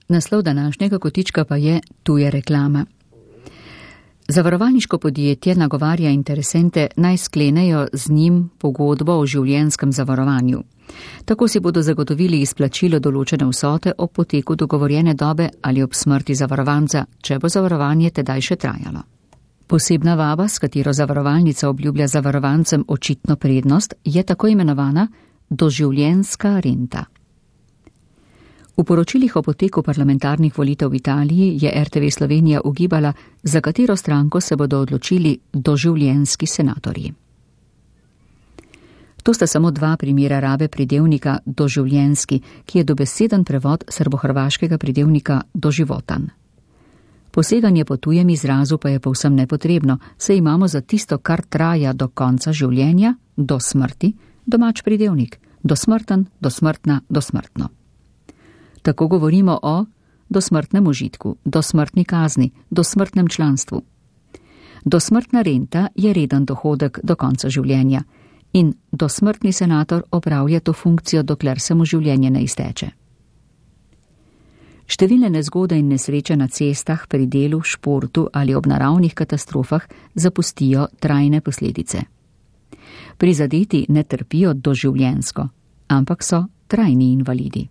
Naslov današnjega kotička pa je Tuja reklama. Zavarovalniško podjetje nagovarja interesente naj sklenejo z njim pogodbo o življenjskem zavarovanju. Tako si bodo zagotovili izplačilo določene vsote ob poteku dogovorjene dobe ali ob smrti zavarovanca, če bo zavarovanje tedaj še trajalo. Posebna vaba, s katero zavarovalnica obljublja zavarovancem očitno prednost, je tako imenovana doživljenjska renta. V poročilih o poteku parlamentarnih volitev v Italiji je RTV Slovenija ugibala, za katero stranko se bodo odločili doživljenjski senatorji. To sta samo dva primera rabe pridevnika doživljenjski, ki je dobeseden prevod srbohrvaškega pridevnika doživotan. Poseganje po tujem izrazu pa je povsem nepotrebno, saj imamo za tisto, kar traja do konca življenja, do smrti, domač pridevnik, dosmrten, dosmrtna, dosmrtno. Tako govorimo o dosmrtnem užitku, dosmrtni kazni, dosmrtnem članstvu. Dosmrtna renta je reden dohodek do konca življenja in dosmrtni senator opravlja to funkcijo, dokler se mu življenje ne izteče. Številne nezgode in nesreče na cestah, pri delu, športu ali ob naravnih katastrofah zapustijo trajne posledice. Prizadeti ne trpijo doživljenjsko, ampak so trajni invalidi.